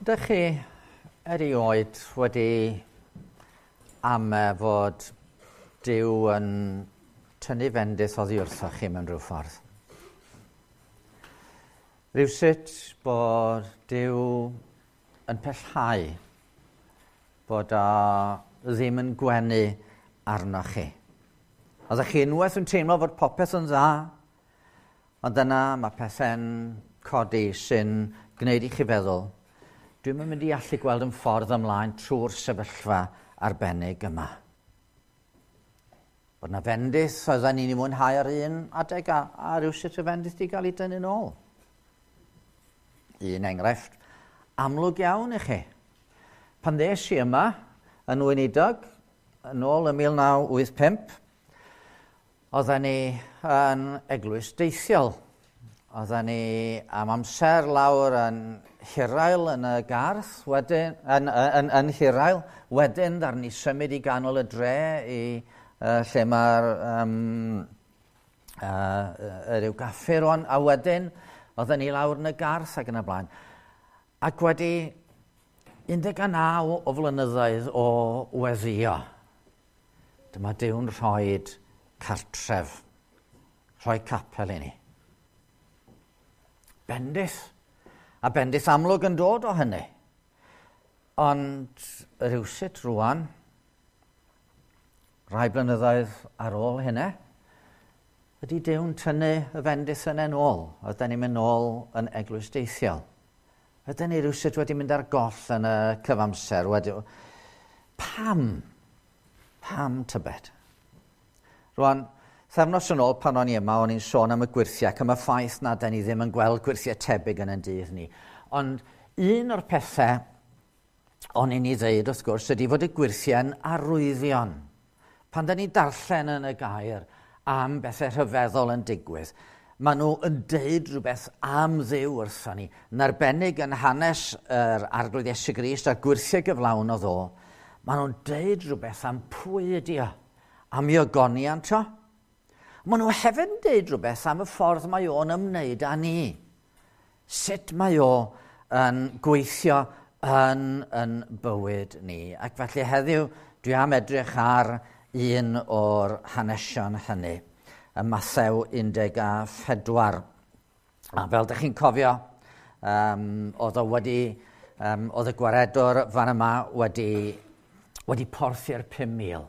Ydych chi erioed wedi ame fod Duw yn tynnu fendith oddi wrthoch chi mewn rhyw ffordd? Rhywsut bod Duw yn pellhau, bod o ddim yn gwenu arnoch chi. Oeddech chi unwaith yn teimlo fod popeth yn dda, ond yna mae pethau'n codi sy'n gwneud i chi feddwl, dwi'm yn mynd i allu gweld yn ffordd ymlaen trwy'r sefyllfa arbennig yma. Bod na fendith oedden ni'n ei mwynhau ar un adeg a rhywsut y fendith di gael ei dynnu'n ôl. Un enghraifft amlwg iawn i chi. Pan ddes i yma yn weinidog, yn ôl yn 1985, oedden ni yn eglwys deithiol. Oedden ni am amser lawr yn Hirael yn y Garth, wedyn, yn Hirael, wedyn ddaru ni symud i ganol y dre i lle mae'r ryw gaffi rwan, a wedyn oedden ni lawr yn y Garth ac yn y blaen. Ac wedi 19 o flynyddoedd o weddio, dyma Duw'n rhoi cartref, rhoi capel i ni. Bendith, a bendith amlwg yn dod o hynny. Ond rhywsut rwan, rai blynyddoedd ar ôl hynny, ydy Duw'n tynnu y fendith yna yn ôl. Oedden ni'n mynd nôl yn eglwys deithiol. Oedden ni rhywsut wedi mynd ar goll yn y cyfamser. Wedi... Pam? Pam tybed? Rwan, thefnos yn ôl pan o'n i yma, o'n i'n sôn am y gwyrthiau ac am y ffaith na da ni ddim yn gweld gwyrthiau tebyg yn ein dydd ni. Ond un o'r pethau o'n i'n ei ddeud, wrth gwrs, ydy fod y gwyrthiau'n arwyddion. Pan da ni'n darllen yn y gair am bethau rhyfeddol yn digwydd, maen nhw yn deud rhywbeth am Dduw wrthon ni. Yn arbennig yn hanes yr Arglwydd Iesu Grist a'r gwyrthiau gyflawn o ddo, maen nhw'n deud rhywbeth am pwy ydy o, am ei ogoniant o. Maen nhw hefyd yn deud rhywbeth am y ffordd mae o'n ymwneud â ni. Sut mae o yn gweithio yn bywyd ni. Ac felly heddiw dwi am edrych ar un o'r hanesion hynny, y Mathew 14. A fel dych chi'n cofio, oedd o wedi, oedd y gwaredwr fan yma wedi porthi'r 5,000.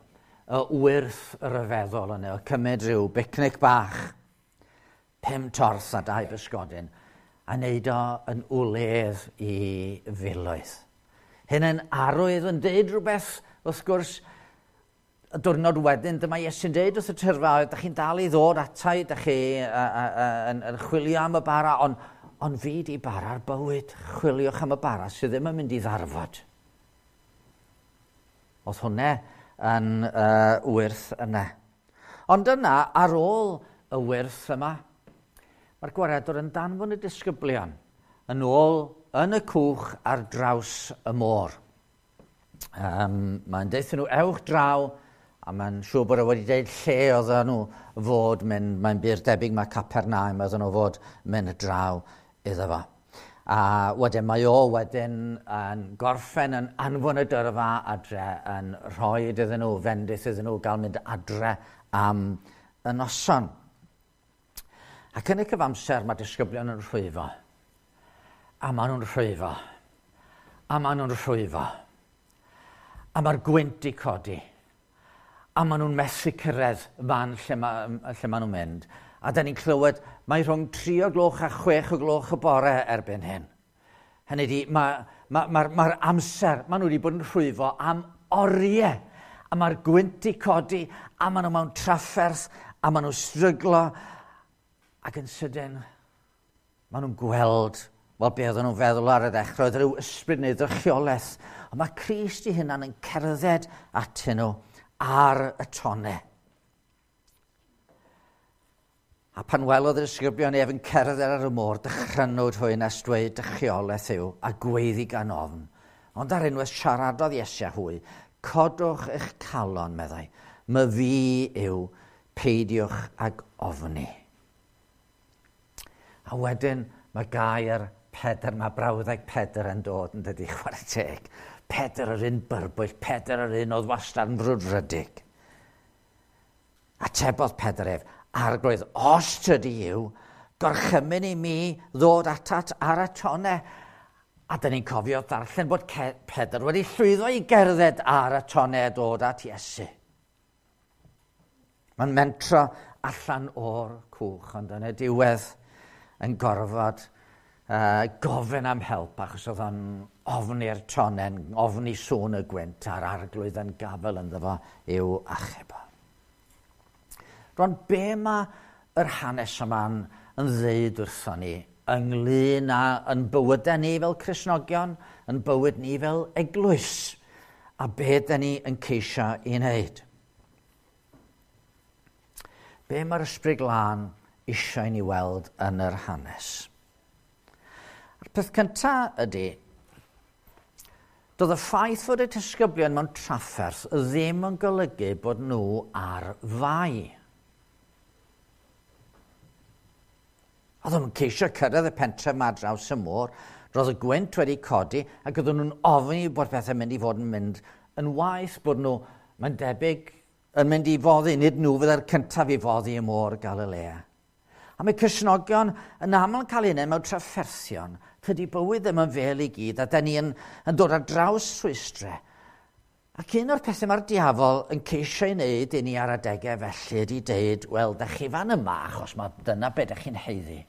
Y wyrth ryfeddol yna, o cymryd rhyw bicnic bach, 5 torth a 2 bysgodyn, a wneud o yn wledd i filoedd. Hyn yn arwydd yn deud rhywbeth, wrth gwrs, y diwrnod wedyn, dyma Iesu'n deud wrth y tyrfa, dych chi'n dal i ddod atai, dych chi yn chwilio am y bara, ond fi di bara'r bywyd, chwiliwch am y bara sydd ddim yn mynd i ddarfod. Oedd hwnna yn wyrth yna. Ond yna, ar ôl y wyrth yma, mae'r gwaredwr yn danfon y disgyblion yn ôl yn y cwch ar draws y môr. Mae'n deutha nhw, ewch draw, a mae'n siŵr bod e wedi deud lle oedden nhw fod mynd, mae'n bur debyg mae Capernaum oedden nhw fod mynd draw iddo fo. A wedyn mae o wedyn yn gorffen yn anfon y dyrfa adre, yn rhoi iddyn nhw, fendith iddyn nhw gael mynd adre am y noson. Ac yn y cyfamser mae disgyblion yn rhwyfo. A maen nhw'n rhwyfo. A maen nhw'n rhwyfo. A mae'r gwynt i codi. A maen nhw'n methu cyrraedd fan lle maen nhw'n mynd. A da ni'n clywed, mae rhwng 3 o gloch a 6 o gloch y bore erbyn hyn. Hynny ydi, mae'r amser, maen nhw wedi bod yn rhwyfo am oriau. A mae'r gwynt i codi, a maen nhw mewn trafferth, a maen nhw'n stryglo. Ac yn sydyn, maen nhw'n gweld, wel, be oedden nhw'n feddwl ar y ddechrau, oedd rhyw ysbryd neu ddrychiolaeth. Ond mae Crist ei hunan yn cerdded atyn nhw ar y tonnau. A pan welodd y disgyblion ef yn cerdded ar y môr, dychrynwyd hwy nes dweud drychiolaeth yw, a gweiddi gan ofn. Ond ar unwaith siaradodd Iesu â hwy, codwch eich calon, meddai, my fi yw, peidiwch ag ofni. A wedyn mae gair Pedr, mae brawddeg Pedr yn dod yn dydi, chwarae teg. Pedr yr un byrbwyll, Pedr yr un oedd wastad yn frwdfrydig. Atebodd Pedr ef, Arglwydd, os tydi yw, gorchymyn i mi ddod atat ar y tone. A dyn ni'n cofio ddarllen bod Pedr wedi llwyddo i gerdded ar y tone a dod at Iesu. Mae'n mentro allan o'r cwch, ond yn y diwedd yn gorfod gofyn am help, achos oedd o'n ofni'r tonen, ofni sŵn y gwynt a'r Arglwydd yn gafel ynddo fo i'w achub o. Rwan, be mae yr hanes yma'n yn ddeud wrthon ni ynglyn â yn bywydau ni fel Cristnogion, yn bywyd ni fel eglwys, a be dyn ni yn ceisio i wneud? Be mae'r Ysbryd Glân eisiau ni weld yn yr hanes? A'r peth cyntaf ydy, doedd y ffaith fod y disgyblion mewn trafferth ddim yn golygu bod nhw ar fai. Oedd nhw'n ceisio cyrraedd y pentref ma draws y môr, roedd y gwynt wedi codi ac oedden nhw'n ofni bod pethau'n mynd i fod yn mynd yn waeth, bod nhw, mae'n debyg, yn mynd i foddi, nid nhw fydde'r cyntaf i foddi y môr Galilea. A mae Cristnogion yn aml yn cael eu mewn trafferthion. Tydi bywyd ddim yn fel i gyd, a da ni yn dod ar draws rhwystrau. Ac un o'r pethau mae'r diafol yn ceisio ei wneud i ni ar adegau felly ydy deud, wel, da chi fan yma, achos mae dyna be da chi'n haeddu.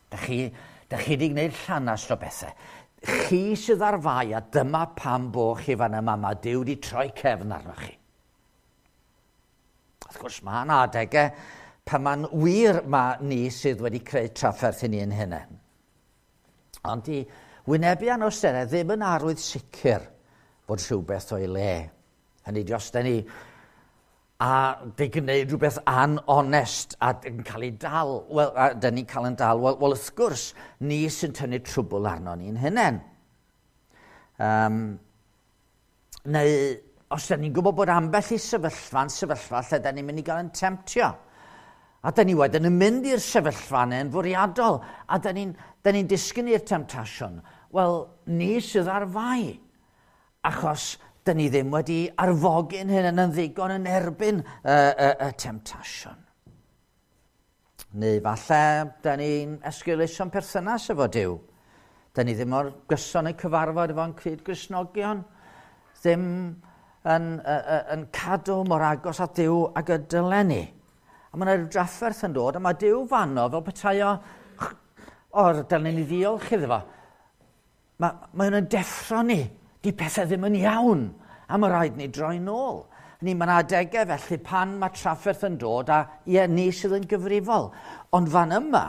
Da chi wedi gwneud llanast o bethau. Chi sydd ar fai, a dyma pam bo chi fan yma, mae Duw wedi troi cefn arnoch chi. Wrth gwrs, mae yna adegau pan mae'n wir mae ni sydd wedi creu trafferth i ni'n hunain. Ond i wynebu anawsterau ddim yn arwydd sicr bod rhywbeth o'i le. Hynny ydi, os da ni a di gwneud rhywbeth anonest a yn cael ei dal, wel, a da ni'n cael yn dal, wel, wrth gwrs, ni sy'n tynnu trwbl arno ni'n hunain. Neu os da ni'n gwybod bod ambell i sefyllfa'n sefyllfa lle da ni'n mynd i gael yn temtio. A da ni wedyn yn mynd i'r sefyllfa yna'n fwriadol, a da ni'n disgyn i'r temtasiwn. Wel, ni sydd ar fai, achos da ni ddim wedi arfogi'n hyn yn ddigon yn erbyn y temtasiwn. Neu falle da ni'n esgeuluso'n perthynas efo Duw. Da ni ddim o'r gyson yn cyfarfod efo'n cyd-Gristnogion, ddim yn cadw mor agos at Duw ag y dylen ni. A mae yna drafferth yn dod, a mae Duw fanno fel petai o, dylen ni ddiolch iddo fo. Mae hwn yn deffro ni, di pethau ddim yn iawn, a mae rhaid ni droi nôl. Ni, mae yna adegau felly pan mae trafferth yn dod, a ie, ni sydd yn gyfrifol. Ond fan yma,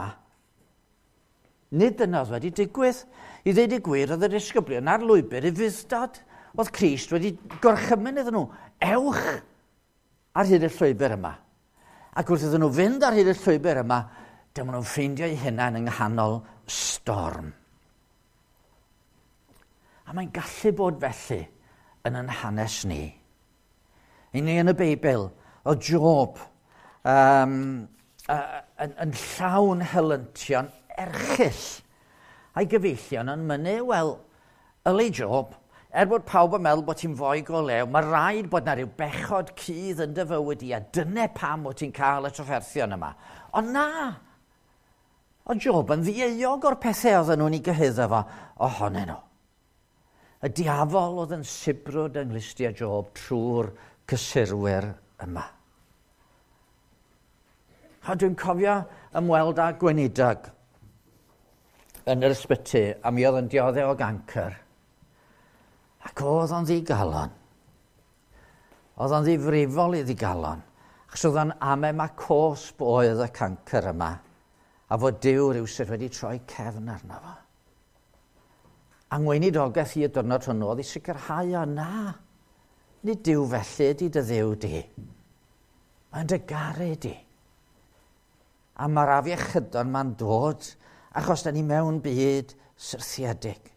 nid dyna oedd wedi digwydd. I ddweud y gwir, oedd y disgyblion ar lwybr i fudd-dod. Oedd Crist wedi gorchymyn iddyn nhw, ewch ar hyd y llwybr yma. Ac wrth iddyn nhw fynd ar hyd y llwybr yma, dyma nhw'n ffeindio eu hunain yng nghanol storm. A mae'n gallu bod felly yn ein hanes ni. I ni yn y Beibl, o Job yn llawn helyntion erchyll. A'i gyfeillion yn mynnu, wel, yli Job, bod pawb yn meddwl bod ti'n foi go lew, mae rhaid bod na rhyw bechod cudd yn dy fywyd i, a dyna pam bod ti'n cael y trafferthion yma. Ond na, o Job yn ddieuog o'r pethau oedden nhw'n ei gyhuddo fo ohonyn nhw. Y diafol oedd yn sibrwd yng nghlustiau Job trwy'r cysurwyr yma. A dwi'n cofio ymweld â gweinidog yn yr ysbyty, a mi oedd yn dioddef o gancr. Ac oedd o'n ddigalon. Oedd o'n ddifrifol i ddigalon. Achos oedd o'n ame ma cosb oedd y cancr yma, a fod Duw rywsut wedi troi cefn arno fo. A ngweinidogaeth i y diwrnod hwnnw oedd i sicrhau o na, nid Duw felly ydy dy Dduw di. Mae'n dy garu di. A mae'r afiechydon ma'n dod achos da ni mewn byd syrthiedig.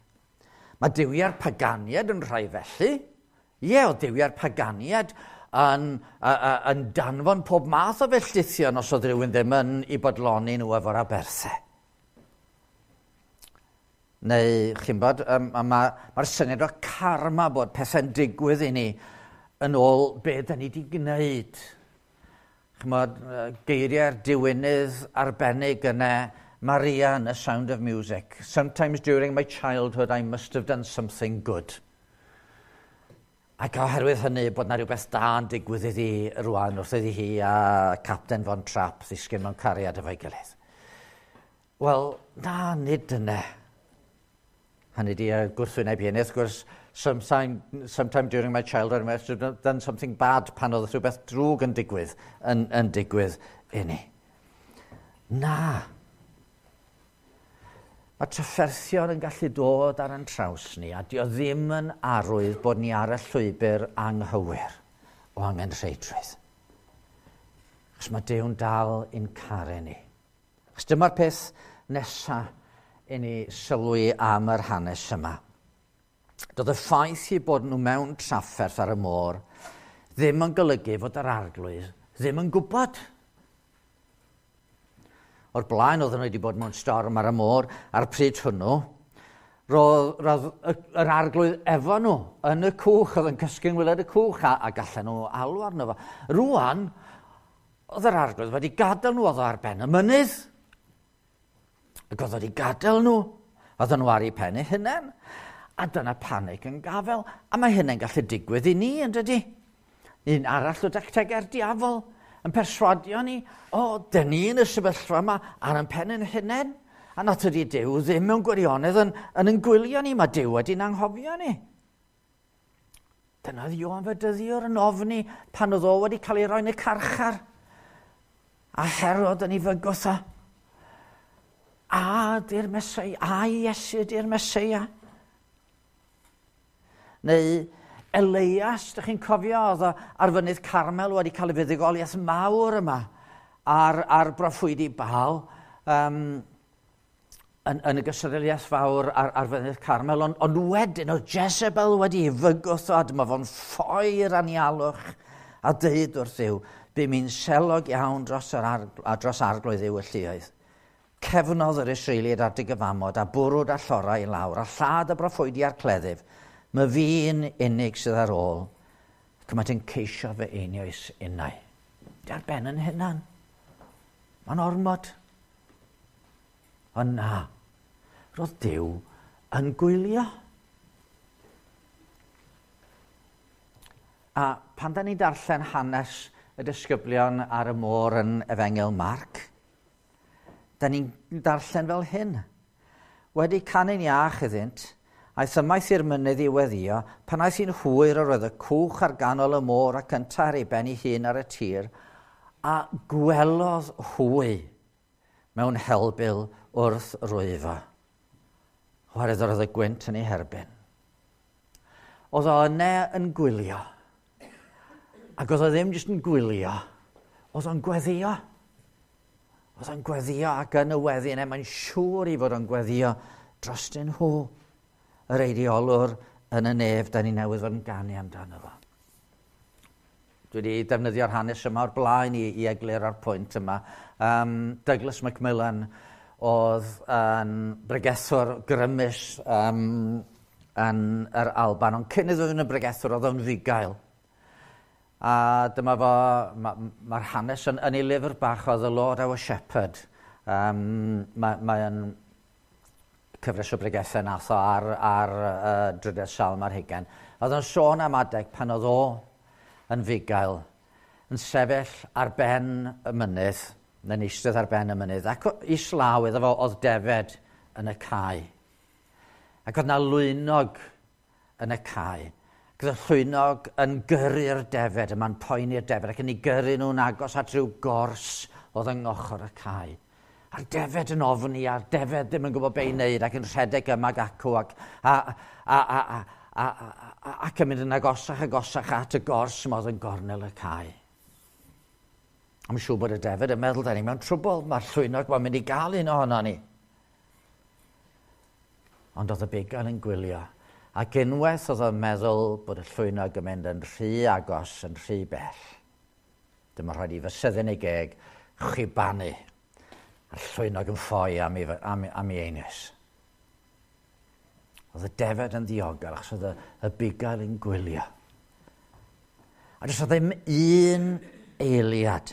Mae duwiau'r paganiad yn rhai felly. Ie, oedd duwiau'r paganiad yn danfon pob math o felltithion os oedd rhywun ddim yn i bodloni nhw efo'r aberthau. Neu, chi'n bod, mae'r syniad o karma bod pethau'n digwydd i ni yn ôl be da ni wedi gwneud. Chymod, geiriau'r diwinydd arbennig yna, Maria yn The Sound of Music. "Sometimes during my childhood I must have done something good." Ac oherwydd hynny bod na rhywbeth da yn digwydd iddi rwan wrth iddi hi a Captain Von Trapp ddisgyn mewn cariad efo'i gilydd. Wel, na, nid dyna. Hynny di y gwrthwyneb hynny, wrth gwrs, "Sometime during my childhood I must have done something bad" pan oedd rhywbeth drwg yn digwydd i ni. Na. Mae trafferthion yn gallu dod ar ein traws ni, a di o ddim yn arwydd bod ni ar y llwybr anghywir o angenrheidrwydd. Achos mae Duw'n dal i'n caru ni. Achos dyma'r peth nesaf i ni sylwi am yr hanes yma. Doedd y ffaith i bod nhw mewn trafferth ar y môr ddim yn golygu fod yr Arglwydd ddim yn gwybod. O'r blaen oedden nhw wedi bod mewn storm ar y môr a'r pryd hwnnw, roedd yr Arglwydd efo nhw yn y cwch, oedd yn cysgu yng ngwaelod y cwch a gallen nhw alw arno fo. Rwan, oedd yr Arglwydd wedi gadael nhw, oedd o ar ben y mynydd. Ac oedd wedi gadael nhw. Oedden nhw ar eu pen eu hunain. A dyna panic yn gafel. A mae hynny'n gallu digwydd i ni, yn dydy? Un arall o dactegau'r diafol yn perswadio ni, o, dyn ni yn y sefyllfa yma ar ein pen ein hunain. A nad ydy Duw ddim mewn gwirionedd yn gwylio ni, mae Duw wedi'n anghofio ni. Dyna oedd Ioan Fedyddiwr yn ofni pan oedd o wedi cael ei roi'n y carchar. A Herod yn ei fygwth o. A di'r Meseia, a Iesu di'r Meseia. Neu Elias, ydych chi'n cofio, oedd o ar fynydd Carmel wedi cael ei fuddugoliaeth mawr yma ar broffwydi Baal yn y gystadleuaeth fawr ar fynydd Carmel. Ond wedyn oedd Jezebel wedi ei fygwth o, a dyma fo'n ffoi i'r anialwch a dweud wrth Dduw, "Bu mi'n selog iawn dros Arglwydd Dduw y lluoedd. Cefnodd yr Israeliaid ar dy gyfamod a bwrw dy allorau i lawr a lladd y broffwydi â'r cleddyf. Mae fi'n unig sydd ar ôl, ac mae yn ceisio fy einioes innau." Di ar ben yn hunan. Mae'n ormod. Ond na, roedd Duw yn gwylio. A pan da ni'n darllen hanes y disgyblion ar y môr yn Efengyl Marc, da ni'n darllen fel hyn. Wedi canu'n iach iddynt, aeth ymaith i'r mynydd i weddio, pan aeth hi'n hwyr yr oedd y cwch ar ganol y môr ac yntau ar ei ben ei hun ar y tir, a gwelodd hwy mewn helbul wrth rwyfo. Oherwydd yr oedd y gwynt yn ei herbyn. Oedd o yna yn gwylio. Ac oedd o ddim jyst yn gwylio, oedd o'n gweddio. Oedd o'n gweddio ac yn y weddi yna, mae'n siŵr i fod o'n gweddio drostyn nhw, yr eiriolwr yn y nef da ni newydd fod yn ganu amdano fo. Dwi wedi defnyddio'r hanes yma o'r blaen i egluro'r pwynt yma. Douglas Macmillan oedd yn bregethwr grymus yn yr Alban, ond cyn iddo fod yn bregethwr oedd o'n fugail. A dyma fo, mae'r ma hanes yn ei lyfr bach o The Lord Our Shepherd. Mae'n mae cyfres o bregethau nath o ar drydedd salm ar hugain. Oedd o'n sôn am adeg pan oedd o yn fugail, yn sefyll ar ben y mynydd, neu'n eistedd ar ben y mynydd, ac islaw iddo fo oedd defed yn y cae. Ac oedd na lwynog yn y cae. Ac oedd y llwynog yn gyrru'r defed, yma'n poeni'r defed, ac yn ei gyrru nhw'n agos at rhyw gors oedd yng ngochr y cae. A'r defed yn ofni, a'r defed ddim yn gwybod be i wneud, ac yn rhedeg yma ac acw, ac, a, ac yn mynd yn agosach agosach at y gors yma oedd yn gornel y cae. I'm siŵr bod y defed yn meddwl, "Da ni mewn trwbl, mae'r llwynog mae'n mynd i gael un ohono ni." Ond oedd y bugail yn gwylio. Ac unwaith oedd o'n meddwl bod y llwynog yn mynd yn rhy agos, yn rhy bell, dyma rhaid i fysedd yn ei geg chwibanu. A'r llwynog yn ffoi am ei einioes. Oedd y defed yn ddiogel achos oedd y bugail yn gwylio. A does ddim un eiliad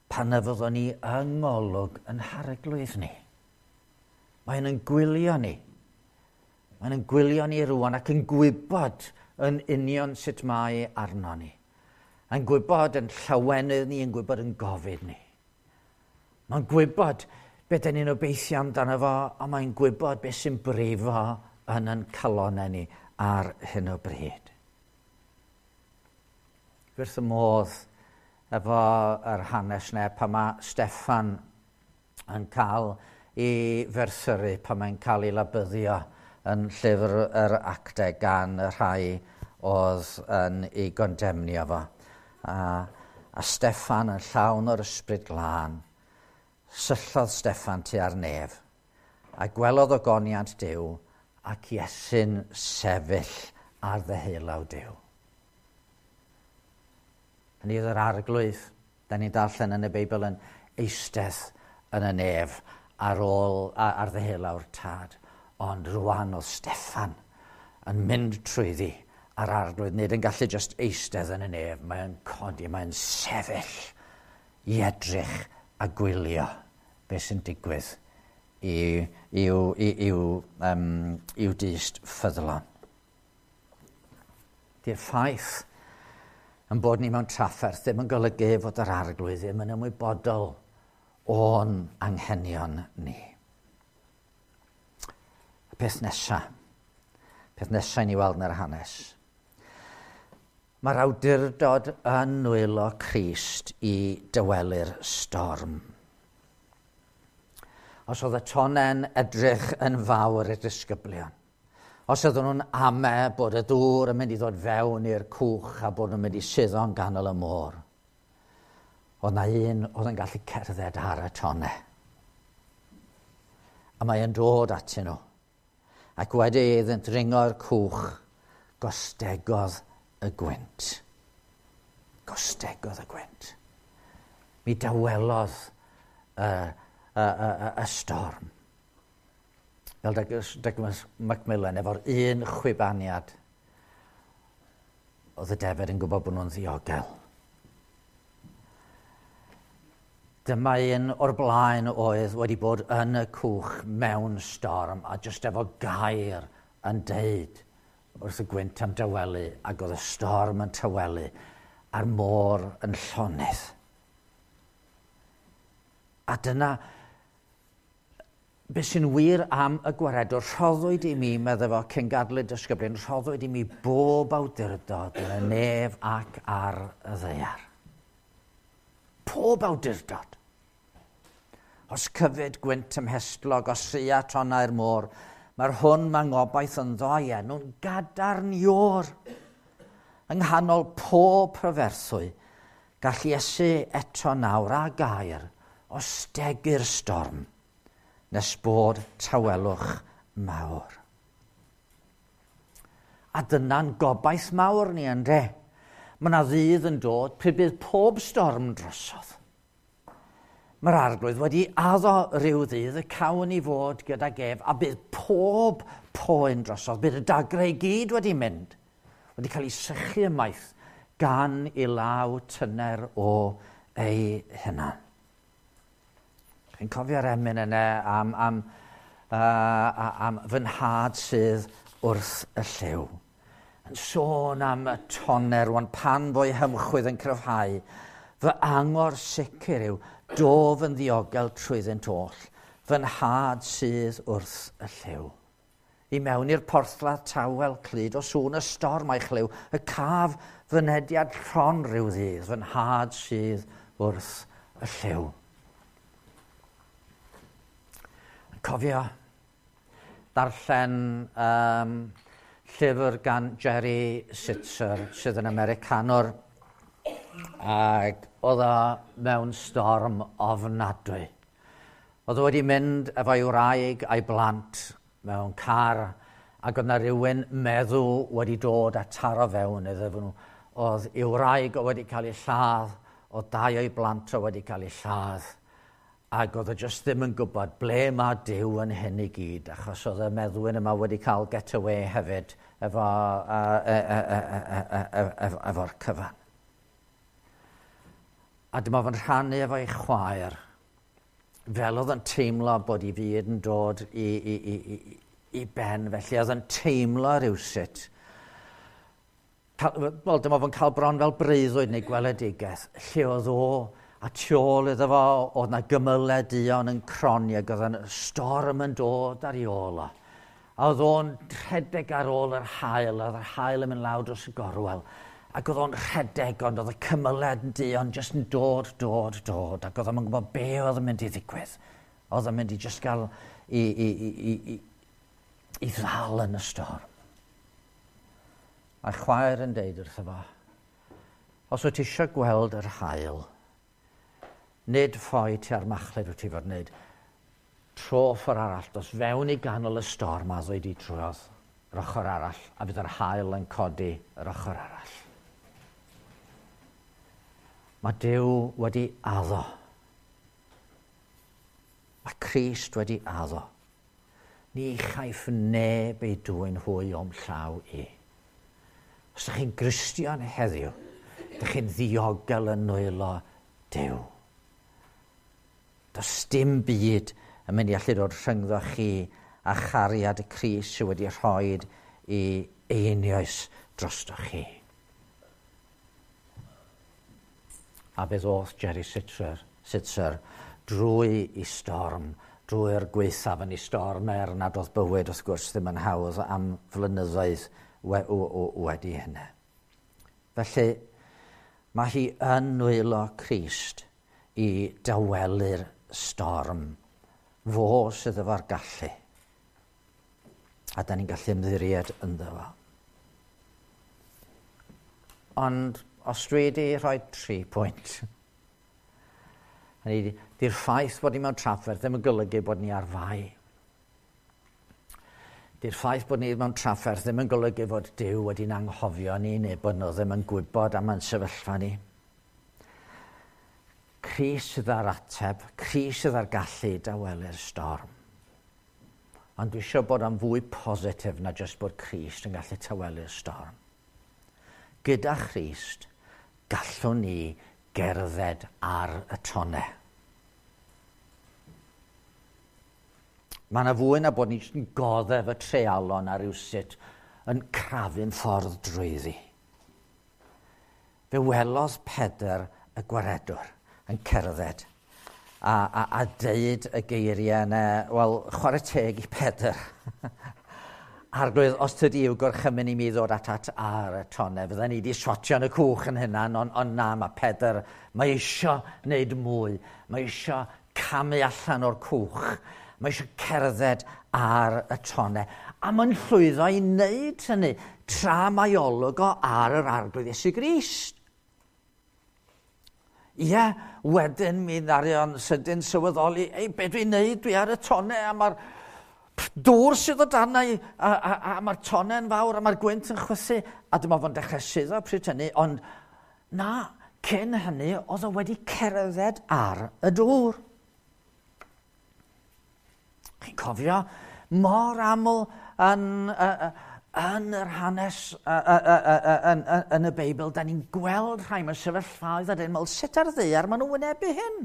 pan na fyddwn ni yng ngolwg yn harglwydd ni. Mae'n yn gwylio ni. Mae'n yn gwylio ni rwan ac yn gwybod yn union sut mae arno ni. Yn gwybod yn llawenydd ni, yn gwybod yn gofid ni. Mae'n gwybod beth dyn ni'n obeithio amdano fo, a mae'n gwybod beth sy'n brifo yn ein calonau ni ar hyn o bryd. Wrth y modd efo yr hanes ne, pan mae Steffan yn cael ei ferthyru, pan mae'n cael ei labyddio yn llyfr yr actau gan y rhai oedd yn ei gondemnio fo. A Steffan yn llawn o'r ysbryd glân, syllodd Steffan tua'r nef, a gwelodd ogoniant Duw ac Iesu'n sefyll ar ddeheulaw Duw. Hynny oedd yr arglwydd, da ni'n darllen yn y Beibl yn eistedd yn y nef ar ôl ar ddeheulaw'r tad. Ond rwan oedd Steffan yn mynd trwyddi a'r arglwydd nid yn gallu just eistedd yn y nef, mae'n codi, mae'n sefyll i edrych a gwylio beth sy'n digwydd i'w dyst ffyddlon. Di'r ffaith yn bod ni mewn trafferth ddim yn golygu fod yr arglwydd ddim yn ymwybodol o'n anghenion ni. Y peth nesa i ni weld yn yr hanes. Mae'r awdurdod yn nwylo Crist i dywelu'r storm. Os oedd y tonen edrych yn fawr i'r disgyblion, os oedden nhw'n ame bod y dŵr yn mynd i ddod fewn i'r cwch a bod nhw'n mynd i suddo'n ganol y môr, oedd na un oedd yn gallu cerdded ar y tone. A mae yn dod atyn nhw. Ac wedi iddynt ringo'r cwch, gostegodd y gwynt. Gostegodd y gwynt. Mi dawelodd y storm. Fel Douglas Macmillan, efo'r un chwibaniad, oedd y defed yn gwybod bod nhw'n ddiogel. Dyma un o'r blaen oedd wedi bod yn y cwch mewn storm a jyst efo gair yn deud wrth y gwynt am dawelu, ac oedd y storm yn tawelu a'r môr yn llonydd. A dyna beth sy'n wir am y gwaredwr. Rhoddwyd i mi, meddai fo, cyn gadw y disgyblion, rhoddwyd i mi bob awdurdod yn y nef ac ar y ddaear. Pob awdurdod. Os cyfyd gwynt ymhestlog, os sia tonnau'r môr, mae'r hwn mae ngobaith ynddo i enw'n gadarn ior. Yng nghanol pob proferthwy, gall Iesu eto nawr a gair ostegu'r storm, nes bod tawelwch mawr. A dyna'n gobaith mawr ni ynde. Mae yna ddydd yn dod pryd bydd pob storm drosodd. Mae'r arglwydd wedi addo rhyw ddydd y cawn i fod gydag ef a bydd pob poen drosodd. Bydd y dagrau i gyd wedi mynd, wedi cael ei sychu ymaith gan i law tyner o ei hunan. Chi'n cofio'r emyn yna am fy nhad sydd wrth y llyw. Yn sôn am y toner rwan pan fo'i hymchwydd yn cryfhau, fy angor sicr yw dof yn ddiogel trwyddynt oll, fy nhad sydd wrth y llyw. I mewn i'r porthladd tawel clyd o sŵn y storm a'i chlyw, y caf fynediad llon rhyw ddydd, fy nhad sydd wrth y llyw. Cofio darllen llyfr gan Jerry Sitzer sydd yn Americanwr, ac oedd o mewn storm ofnadwy. Oedd o wedi mynd efo'i wraig a'i blant mewn car, ac oedd na rhywun meddw wedi dod a taro fewn iddo nhw. Oedd ei wraig o wedi cael ei lladd, oedd dau o'i blant o wedi cael ei lladd, Ac oedd e jyst ddim yn gwybod ble mae Duw yn hyn i gyd, achos oedd y meddwyn yma wedi cael getaway hefyd efo, efo'r cyfan. A dyma fo'n rhannu efo'i chwaer, fel oedd yn teimlo bod ei fyd yn dod i ben, felly oedd yn teimlo rhywsut. Wel, dyma fo'n cael bron fel breuddwyd neu gweledigaeth, lle oedd o, a tu ôl iddo fo, oedd na gymylau duon yn cronni ac oedd yna storm yn dod ar ei ôl o. A oedd o'n rhedeg ar ôl yr haul, oedd yr haul yn mynd lawr dros y gorwel. Ac oedd o'n rhedeg, ond oedd y cymylau duon jyst yn dod, dod, dod, ac oedd o'n gwybod be oedd yn mynd i ddigwydd. Oedd o'n mynd i jyst gael i ddal yn y storm. A'i chwaer yn deud wrtho fo, os wyt ti eisiau gweld yr haul, nid ffoi tua'r machlud wyt ti fod wneud, tro ffordd arall, dos fewn i ganol y storm a ddweud i drwodd yr ochr arall, a fydd yr haul yn codi yr ochr arall. Mae Duw wedi addo. Mae Crist wedi addo. Ni chaiff neb ei dwyn hwy o'm llaw i. Os ydych chi'n Gristion heddiw, ydych chi'n ddiogel yn nwylo Duw. Does dim byd yn mynd i allu dod rhyngddo chi a chariad y Crist sydd wedi rhoi i einioes drosto chi. A fe ddoth Jerry Sittser drwy i storm, drwy'r gwaethaf yn ei storm, er nad oedd bywyd wrth gwrs ddim yn hawdd am flynyddoedd wedi hynny. Felly, mae hi yn nwylo Crist i dawelu'r storm. Fo sydd efo'r gallu. A da ni'n gallu ymddiried ynddo fo. Ond os dwi wedi rhoi 3 pwynt, hynny di'r ffaith bod ni mewn trafferth ddim yn golygu bod ni ar fai. Di'r ffaith bod ni mewn trafferth ddim yn golygu fod Duw wedi'n anghofio ni neu bod nhw ddim yn gwybod am ein sefyllfa ni. Crist sydd â'r ateb, Crist sydd â'r gallu i dawelu'r storm. Ond dwi eisiau bod am fwy positif na jyst bod Crist yn gallu tawelu'r storm. Gyda Christ, gallwn ni gerdded ar y tonnau. Mae yna fwy na bod ni jyst yn goddef y treialon a rywsut yn crafu'n ffordd drwyddi. Fe welodd Pedr y gwaredwr yn cerdded a deud y geiriau yna, wel, chwarae teg i Pedr. Arglwydd, os tydi yw gorchymyn i mi ddod at ar y tonnau, fydden ni wedi swatio yn y cwch yn hynna, ond na, mae Pedr, mae eisiau wneud mwy, mae eisiau camu allan o'r cwch, mae eisiau cerdded ar y tonnau. A mae'n llwyddo i wneud hynny tra mae olwg o ar yr Arglwydd Iesu Grist. Ie, wedyn mi ddarion sydyn sylweddoli, ei, be dwi'n neud, dwi ar y tonnau a mae'r dŵr sydd o danau a mae'r tonnau'n fawr a mae'r gwynt yn chwythu a dyma fo'n dechrau suddo pryd hynny, ond na, cyn hynny oedd o wedi cerdded ar y dŵr. Chi'n cofio mor aml yn yr hanes, yn y Beibl, da ni'n gweld rhai mewn sefyllfaoedd a dyn meddwl, sut ar ddaear maen nhw'n wynebu hyn?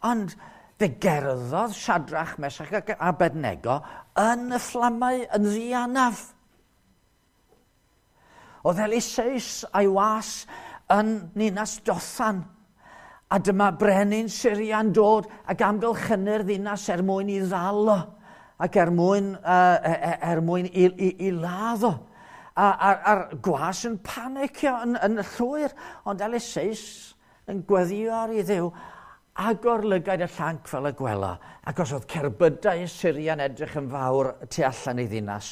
Ond fe gerddodd Siadrach, Mesach ac Abednego yn y fflamau yn ddianaf. Oedd Eliseus a'i was yn ninas Dothan, a dyma brenin Syria'n dod ac amgylchynu'r ddinas er mwyn i ddal o, ac er mwyn i ladd o. A'r gwas yn panicio yn llwyr, ond Eliseus yn gweddio ar ei Dduw, agor lygaid y llanc fel y gwela, ac os oedd cerbydau Syria'n edrych yn fawr tu allan i ddinas,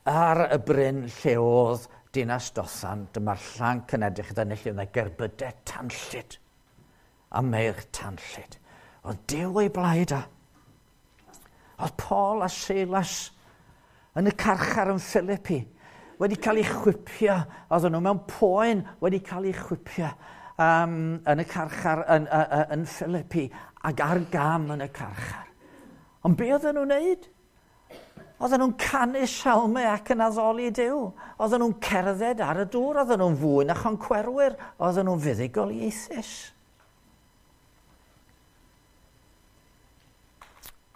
ar y bryn lle oedd dinas Dothan, dyma'r llanc yn edrych yn lle oedd gerbydau tanllyd, a meirch tanllyd. Oedd Duw ei blaid a. Oedd Paul a Silas yn y carchar yn Philippi wedi cael eu chwipio, oedden nhw mewn poen wedi cael eu chwipio. yn y carchar yn Philippi ac ar gam yn y carchar. Ond be oedden nhw'n neud? Oedden nhw'n canu salmau ac yn addoli Duw. Oedden nhw'n cerdded ar y dŵr, oedden nhw'n fwy na choncwerwyr, oedden nhw'n fuddugoliaethus.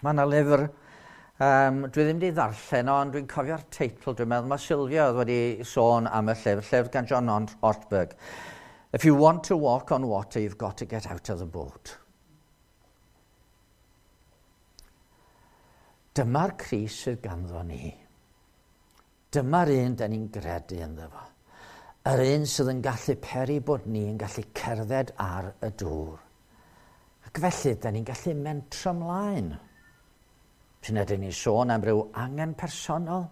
Mae yna lyfr, dwi ddim wedi ddarllen o, ond dwi'n cofio'r teitl, dwi'n meddwl mae Sylvia oedd wedi sôn am y llyfr, llyfr gan John Ortberg. "If you want to walk on water, you've got to get out of the boat." Dyma'r Crist sydd ganddo ni. Dyma'r un da ni'n gredu ynddo fo. Yr un sydd yn gallu peri bod ni yn gallu cerdded ar y dŵr. Ac felly, da ni'n gallu mentro ymlaen. Pryd ydyn ni'n sôn am ryw angen personol,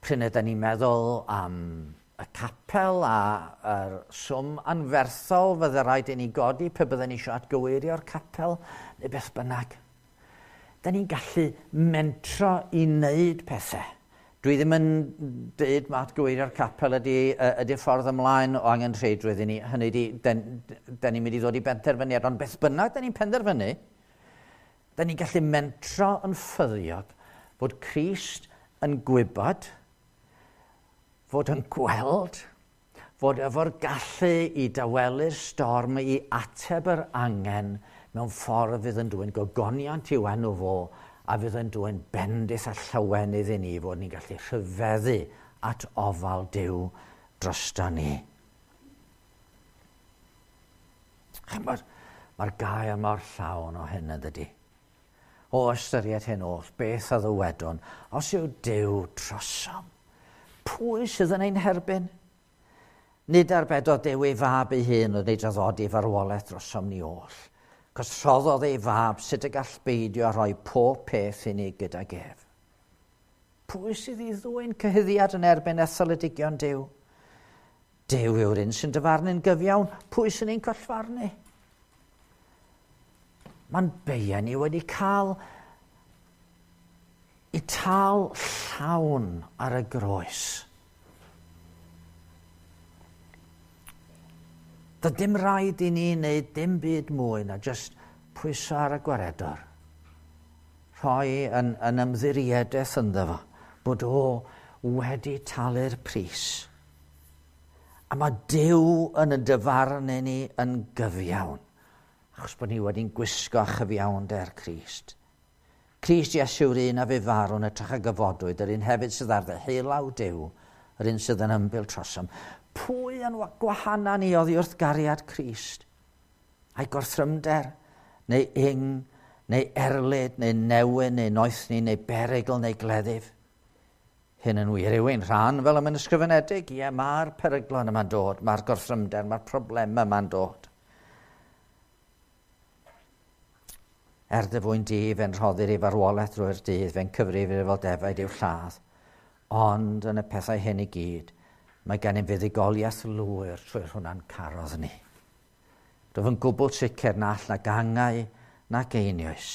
pryd ydyn ni'n meddwl am y capel a'r swm anferthol fydde rhaid i ni godi pe bydden ni eisiau atgyweirio'r capel, neu beth bynnag. Da ni'n gallu mentro i wneud pethau. Dwi ddim yn dweud mae atgyweirio'r capel ydy'r ffordd ymlaen o angen rheidrwydd i ni. Hynny ydy, da ni'n mynd i ddod i benderfyniad, ond beth bynnag da ni'n penderfynu, da ni'n gallu mentro yn ffyddiog fod Crist yn gwybod, fod yn gweld, fod efo'r gallu i dawelu'r storm, i ateb yr angen mewn ffordd fydd yn dwyn gogoniant i'w enw fo a fydd yn dwyn bendith a llawenydd i ni fod ni'n gallu rhyfeddu at ofal Duw drosto ni. Chymod, mae'r gair mor llawn o hyn yn dydy. O ystyried hyn oll, beth a ddywedwn, os yw Duw trosom, pwy sydd yn ein herbyn? Nid arbedodd Duw ei fab ei hun ond ei draddodi farwolaeth drosom ni oll. Cos rhoddodd ei fab, sut y gall beidio a rhoi pob peth i ni gydag ef? Pwy sydd i ddwyn cyhuddiad yn erbyn etholedigion Duw? Duw yw'r un sy'n dyfarnu'n gyfiawn, pwy sy'n ein collfarnu? Mae'n beia ni wedi cael i tal llawn ar y groes. Doedd dim rhaid i ni wneud dim byd mwy na jyst pwyso ar y gwaredwr. Rhoi yn ymddiriedaeth ynddo fo, bod o wedi talu'r pris. A mae Duw yn y dyfarnu ni yn gyfiawn, achos bod ni wedi'n gwisgo â chyfiawnder Crist. Crist Iesu yw'r un a fu farw yn hytrach a gyfodwyd, yr un hefyd sydd ar ddeheulaw Duw, yr un sydd yn ymbil trosom. Pwy yn gwahana ni oddi wrth gariad Crist? Ai gorthrymder, neu ing, neu erlid, neu newyn, neu noethni, neu berygl, neu gleddyf? Hyn yn wir yw ein rhan fel y mae'n ysgrifenedig. Ie, mae'r peryglon yma'n dod, mae'r gorthrymder, mae'r problemau yma'n dod. Er dy fwyn di, fe'n rhoddir i farwolaeth drwy'r dydd, fe'n cyfrifir fel defaid i'w lladd. Ond yn y pethau hyn i gyd, mae gennym fuddugoliaeth lwyr trwy'r hwnna'n carodd ni. Rwyf yn gwbl sicr na all na gangau nac einioes,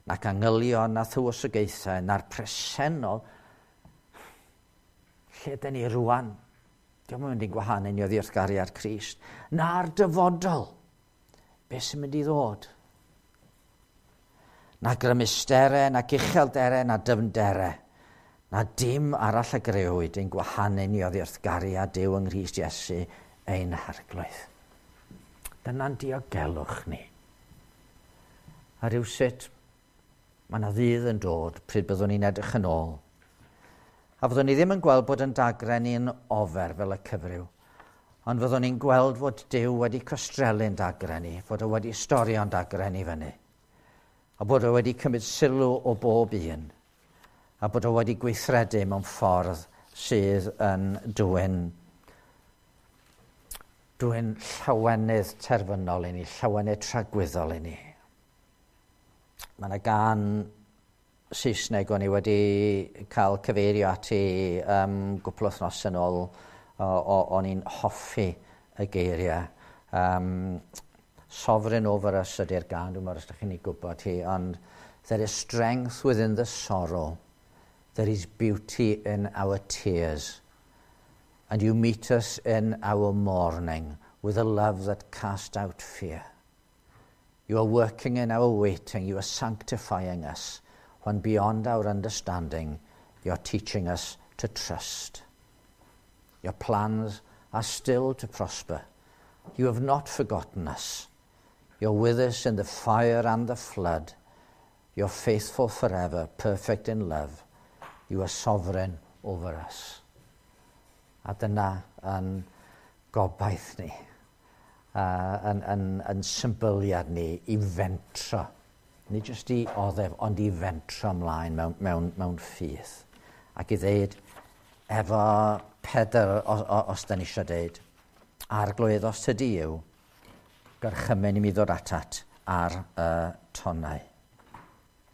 nac angylion na thywysogaethau, na'r presennol, lle dyn ni rwan, diolch yn mynd i'n gwahanu ni oddi wrth gariad Crist, na'r dyfodol, beth sy'n mynd i ddod? Na grymusterau, na uchelderau, na dyfnderau, na dim arall a grëwyd ein gwahanu ni oddi wrth gariad Duw yng Nghrist Iesu ein Harglwydd. Dyna'n diogelwch ni. A rhywsut, mae yna ddydd yn dod pryd byddwn ni'n edrych yn ôl. A fyddwn ni ddim yn gweld bod yn dagre ni'n ofer fel y cyfryw, ond fyddwn ni'n gweld fod Duw wedi costrelu'n dagre ni, fod o wedi storio'n dagre ni fyny, a bod o wedi cymryd sylw o bob un, a bod o wedi gweithredu mewn ffordd sydd yn dwyn llawenydd terfynol i ni, llawenydd tragwyddol i ni. Mae yna gân Saesneg o'n i wedi cael cyfeirio ati gwpl o wythnos yn ôl, o'n i'n hoffi y geiriau. "Sovereign Over Us" ydy'r gân, dwi'n meddwl os ydych chi'n ei gwybod hi, ond "There is strength within the sorrow, there is beauty in our tears, and you meet us in our mourning. with a love that cast out fear. You are working in our waiting. You are sanctifying us when beyond our understanding you're teaching us to trust. Your plans are still to prosper. You have not forgotten us. You're with us in the fire and the flood. You're faithful forever, perfect in love. You are sovereign over us. A dyna yn gobaith ni, yn symbyliad ni i fentro. Nid jyst i oddef, ond i fentro ymlaen mewn ffydd. Ac i ddeud, efo Pedr, os da ni eisiau deud, "Arglwydd, os tydi yw, gorchymyn i mi ddod atat ar y tonnau."